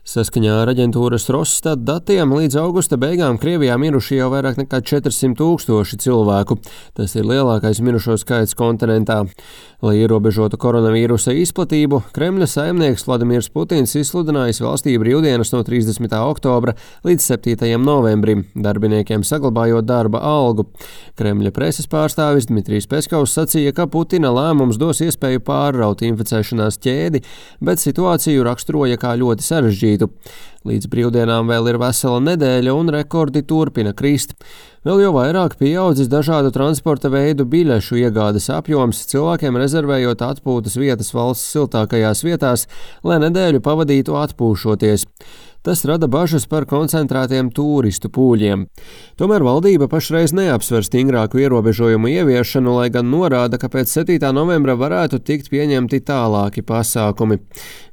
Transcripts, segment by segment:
Saskaņā ar aģentūras Rosstat datiem līdz augusta beigām Krievijā miruši jau vairāk nekā 400 000 cilvēku. Tas ir lielākais mirušo skaits kontinentā. Lai ierobežotu koronavīrusa izplatību, Kremļa saimnieks Vladimirs Putins izsludinājis valstī brīvdienas no 30. oktobra līdz 7. novembrim, darbiniekiem saglabājot darba algu. Kremļa preses pārstāvis Dmitrijs Peskovs sacīja, ka Putina lēmums dos iespēju pārraut inficēšanās ķēdi, bet situāciju raksturoja kā ļoti sarežģītu. Līdz brīvdienām vēl ir vesela nedēļa un rekordi turpina krist. Vēl jau vairāk pieaudzis dažādu transporta veidu biļešu iegādes apjoms, cilvēkiem rezervējot atpūtas vietas valsts siltākajās vietās, lai nedēļu pavadītu atpūšoties. Tas rada bažas par koncentrētiem turistu pūļiem. Tomēr valdība pašreiz neapsver stingrāku ierobežojumu ieviešanu, lai gan norāda, ka pēc 7. novembra varētu tikt pieņemti tālāki pasākumi.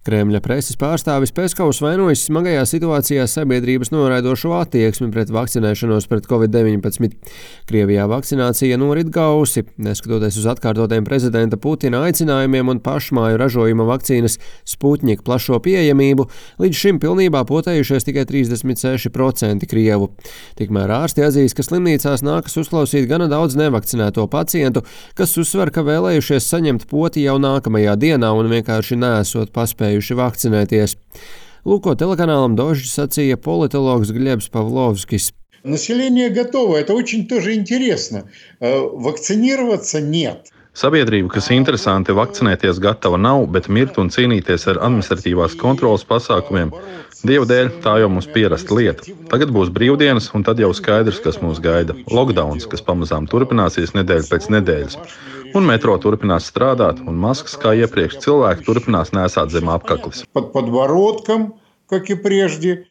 Kremļa preses pārstāvis Peskovs vainojas smagajā situācijā sabiedrības noraidošo attieksmi pret vakcinēšanos pret Covid-19. Krievijā vakcinācija norit gausi, neskatoties uz atkārtotiem prezidenta Putina aicinājumiem un pašmāju ražojuma vakcīnas Sputnik plašo pieejamību, līdz šim pilnībā potējušies tikai 36% krievu. Tikmēr ārsti atzīst, ka slimnīcās nākas uzklausīt gana daudz nevakcinēto pacientu, kas uzsver, ka vēlējušies saņemt poti jau nākamajā dienā un vienkārši neesot paspējuši vakcinēties. Lūko telekanālam Dožģi sacīja politologs Gļebs Pavlovskis. Население готово, это очень тоже интересно. Vakcinироваться нет. Sabiedrība, kas interesanti vakcinēties gatava nav, bet mirt un cīnīties ar administratīvās kontrolas pasākumiem, Dieva dēļ, tā jau mums pierasta lieta. Tagad būs brīvdienas, un tad jau skaidrs, kas mūs gaida. Lockdowns, kas pamazām turpināsies nedēļu pēc nedēļas. Un metro turpinās strādāt, un maskas, kā iepriekš, cilvēki turpinās nēsāt zem apkakles. Под подбородком, как и прежде.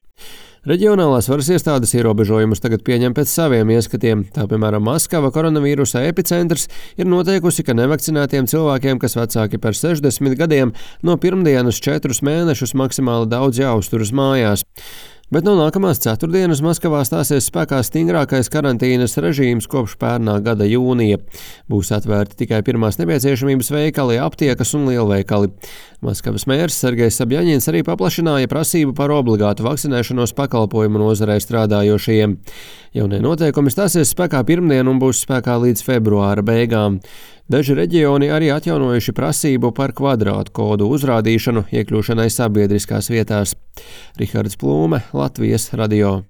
Reģionālās varas iestādes ierobežojumus tagad pieņem pēc saviem ieskatiem. Tā, piemēram, Maskava, koronavīrusa epicentrs, ir noteikusi, ka nevakcinētiem cilvēkiem, kas vecāki par 60 gadiem, no pirmdienas 4 mēnešus maksimāli daudz jāuzturas mājās. Bet no nākamās ceturtdienas Maskavā stāsies spēkā stingrākais karantīnas režīms kopš pērnā gada jūnija. Būs atvērti tikai pirmās nepieciešamības veikali, aptiekas un lielveikali. Maskavas mērs Sergejs Sabjaņins arī paplašināja prasību par obligātu vakcinēšanos pakalpojumu nozarē strādājošajiem. Jaunie noteikumi stāsies spēkā pirmdien un būs spēkā līdz februāra beigām. Daži reģioni arī atjaunojuši prasību par kvadrātu kodu uzrādīšanu iekļūšanai sabiedriskās vietās. Rihards Plūme, Latvijas radio.